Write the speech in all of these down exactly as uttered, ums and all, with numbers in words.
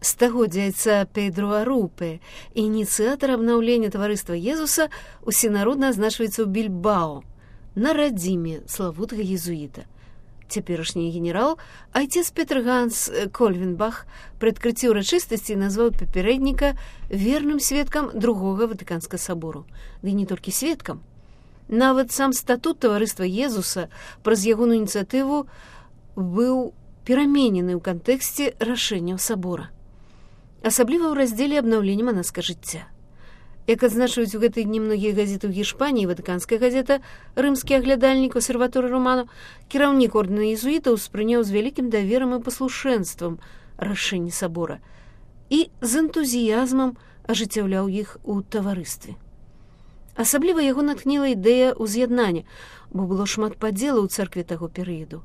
Стагоддзя айца Педро Арупе, ініцыятар абнаўлення таварыства Езуса, усенародна азначваецца ў Більбао, на радзіме славутага езуіта. Цяперашні генерал, айцец Петр Ганс Кольвенбах, пры адкрыцці ўрачыстасці назваў папярэдніка верным сведкам другога Ватыканскага сабору. Ды не толькі сведкам. Нават сам статут таварыства Езуса праз ягоную ініцыятыву быў пераменены ў кантэксце рашэнняў сабора. Асабліва ў раздзеле абнаўлення манаскага жыцця. Як адзначаюць у гэтыя дні многія газеты ў Гішпаніі, ватыканская газета, рымскі аглядальнік Осерваторы Романо, кіраўнік ордэна езуітаў успрыняў з вялікім даверам і паслушэнствам рашэнні сабора і з энтузіязмам ажыццяўляў іх у таварыстве. Асабліва яго натхніла ідэя ўз'яднання, бо было шмат падзелаў у царкве таго перыяду.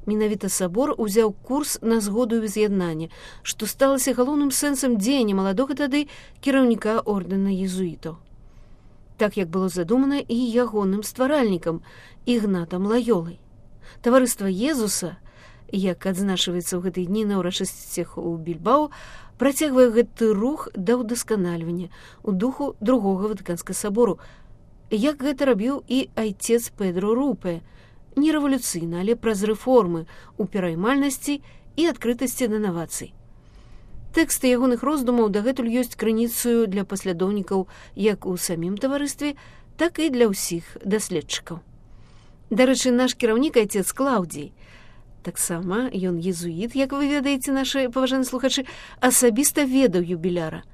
Менавіта сабор узяў курс на згоду і з'яднання, што сталася галоўным сэнсам дзеяння маладога тады кіраўніка ордэна езуітаў. Так як было задумана і ягоным стваральнікам Ігнатам Лайолай. Таварыства Езуса, як адзначваецца ў гэтыя дні на ўрачыстасцях у Більбао, працягвае гэты рух да ўдасканальвання ў духу другога Ватыканскага сабору, як гэта рабіў і айцец Педро Арупе, не рэвалюцыйна, але праз рэформы ў пераймальнасці і адкрытасці да навацый. Тэксты ягоных роздумаў дагэтуль ёсць крыніцаю для паслядоўнікаў як у самім таварыстве, так і для ўсіх даследчыкаў. Дарэчы, наш кіраўнік айцец Клаўдзій, таксама ён езуіт, як вы ведаеце, нашы паважаныя слухачы, асабіста ведаў юбіляра.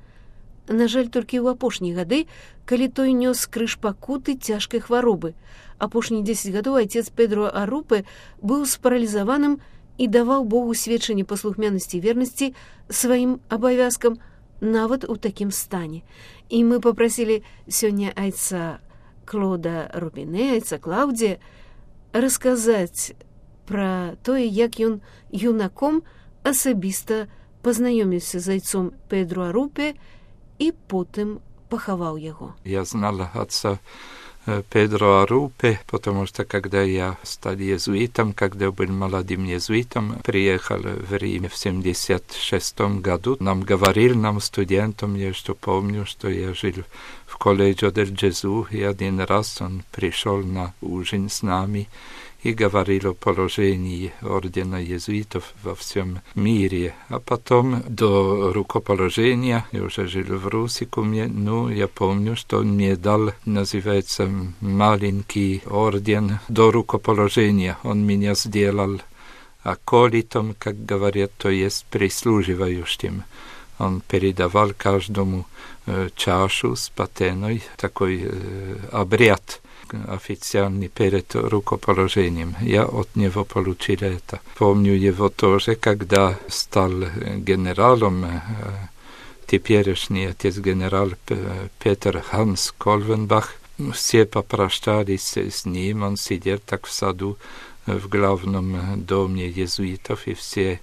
На жаль, толькі ў апошнія гады, калі той нёс крыж пакуты цяжкай хваробы. Апошнія дзесяць гадоў айцец Педро Арупе быў спаралізаваным і даваў Богу сведчанне паслухмянасці і вернасці сваім абавязкам нават у такім стане. І мы папрасілі сёння айца Клода Рубіне, айца Клаўдзія, расказаць пра тое, як ён юнаком асабіста пазнаёміўся з айцом Педро Арупе і потым пахаваў яго. Я знала отца Педро Арупе, потому что когда я стал иезуитом, когда был молодым иезуитом, приехал в Рим в семьдесят шестом году, нам говорил, нам студентам, я что помню, что я жил в колледже дель Джезу, и один раз он пришел на ужин с нами и говорил о положении ордена иезуитов во всем мире. А потом до рукоположения, я уже жил в Русикуме, ну, я помню, что он мне дал, называется, маленький орден до рукоположения. Он меня сделал аколитом, как говорят, то есть прислуживающим. Он передавал каждому э, чашу с патеной, такой э, обряд официальный перед рукоположением. Я от него получил это. Помню его тоже, когда стал генералом, теперешний отец генерал Петр Ганс Кольвенбах. Все попрощались с ним, он сидел так в саду в главном доме иезуитов, и все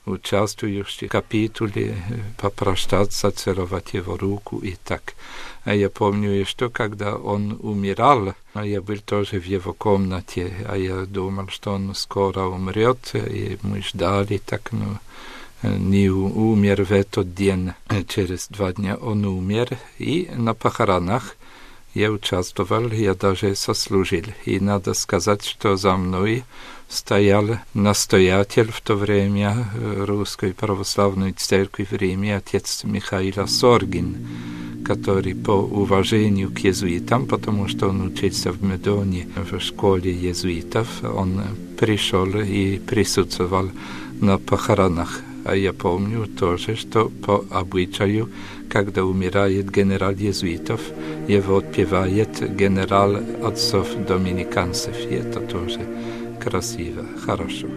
участвующие в капитуле попрощаться, целовать его руку и так. А я помню еще, когда он умирал, я был тоже в его комнате, а я думал, что он скоро умрет, и мы ждали, так, ну, не умер в этот день. Через два дня он умер, и на похоронах я участвовал, я даже сослужил. И надо сказать, что за мной стоял настоятель в то время Русской Православной Церкви в Риме, отец Михаил Соргин, который по уважению к иезуитам, потому что он учился в Медоне в школе иезуитов, он пришел и присутствовал на похоронах. А я помню тоже, что по обычаю, когда умирает генерал иезуитов, его отпевает генерал отцов доминиканцев. И это тоже красиво, хорошо.